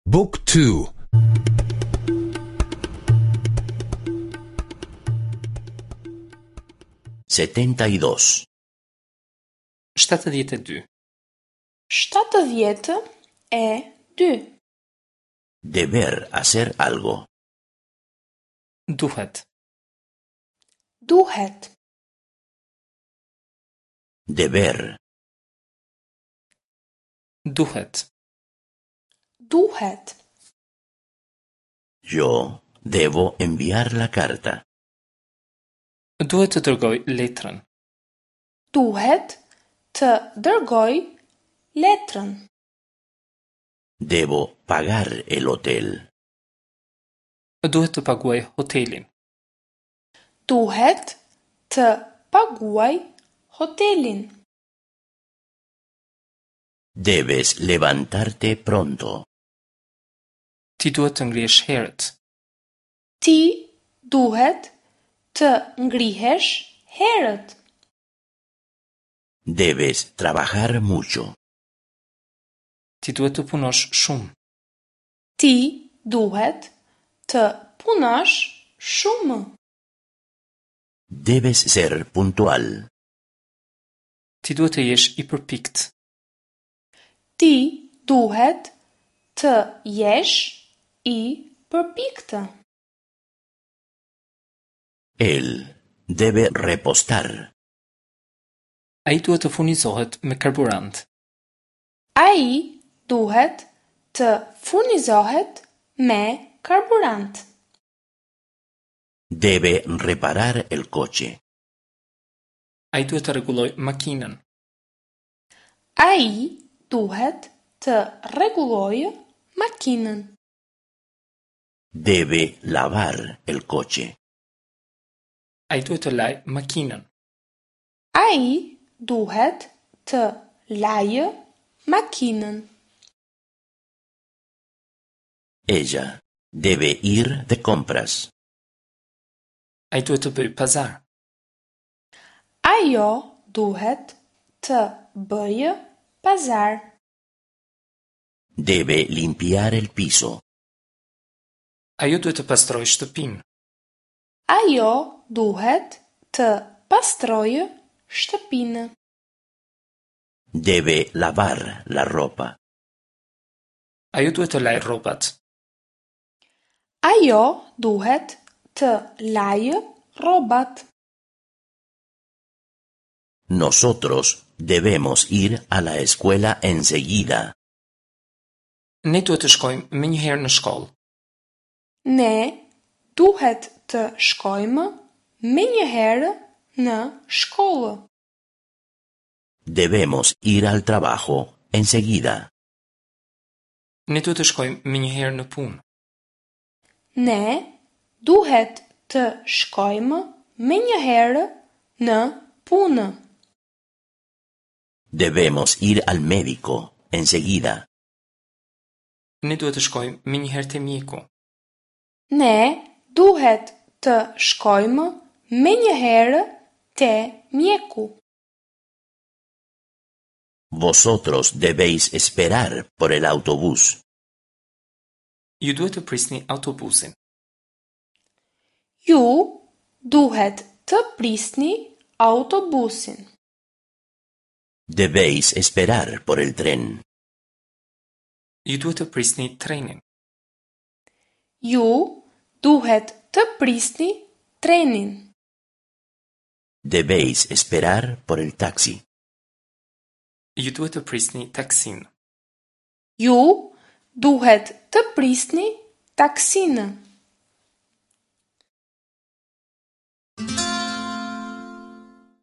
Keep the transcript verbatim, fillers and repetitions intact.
Book two. Setenta y dos. Shtatëdhjetë e dy. Shtatëdhjetë e dy. Deber hacer algo. Duhet. Duhet. Deber. Duhet. Duhet. Yo debo enviar la carta. Duhet të dërgoj letrën. Duhet të dërgoj letrën. Debo pagar el hotel. Duhet të paguaj hotelin. Duhet të paguaj hotelin. Debes levantarte pronto. Ti duhet të ngrihesh herët. Ti duhet të ngrihesh herët. Debes trabajar mucho. Ti duhet të punosh shumë. Ti duhet të punosh shumë. Debes ser puntual. Ti duhet të jesh i përpikt. Ti duhet të jesh i përpiktë. Él debe repostar. Ai duhet të furnizohet me karburant. Ai duhet të furnizohet me karburant. Debe reparar el coche. Ai duhet të rregullojë makinën. Ai duhet të rregullojë makinën. Debe lavar el coche. Ai duhet të lajë makinën. Ai duhet të lajë makinën. Ella debe ir de compras. Ai duhet të bëjë pazar. Ajo duhet të bëjë pazar. Debe limpiar el piso. Ajo duhet të pastrojë shtëpinë. Ajo duhet të pastrojë shtëpinë. Debe lavar la ropa. Ajo duhet të lajë rrobat. Ajo duhet të lajë rrobat. Nosotros debemos ir a la escuela enseguida. Ne duhet të shkojmë menjëherë në shkollë. Ne duhet të shkojmë menjëherë në shkollë. Debemos ir al trabajo enseguida. Ne duhet të shkojmë menjëherë në punë. Ne duhet të shkojmë menjëherë në punë. Debemos ir al médico enseguida. Ne duhet të shkojmë menjëherë te mjeku. Ne duhet të shkojmë menjëherë te mjeku. Vosotros debéis esperar por el autobús. Ju duhet të prisni autobusin. Ju duhet të prisni autobusin. Debéis esperar por el tren. Ju duhet të prisni trenin. Ju duhet të prisni trenin. Debéis esperar por el taxi. Ju duhet të prisni taksin. Ju duhet të prisni taksinë.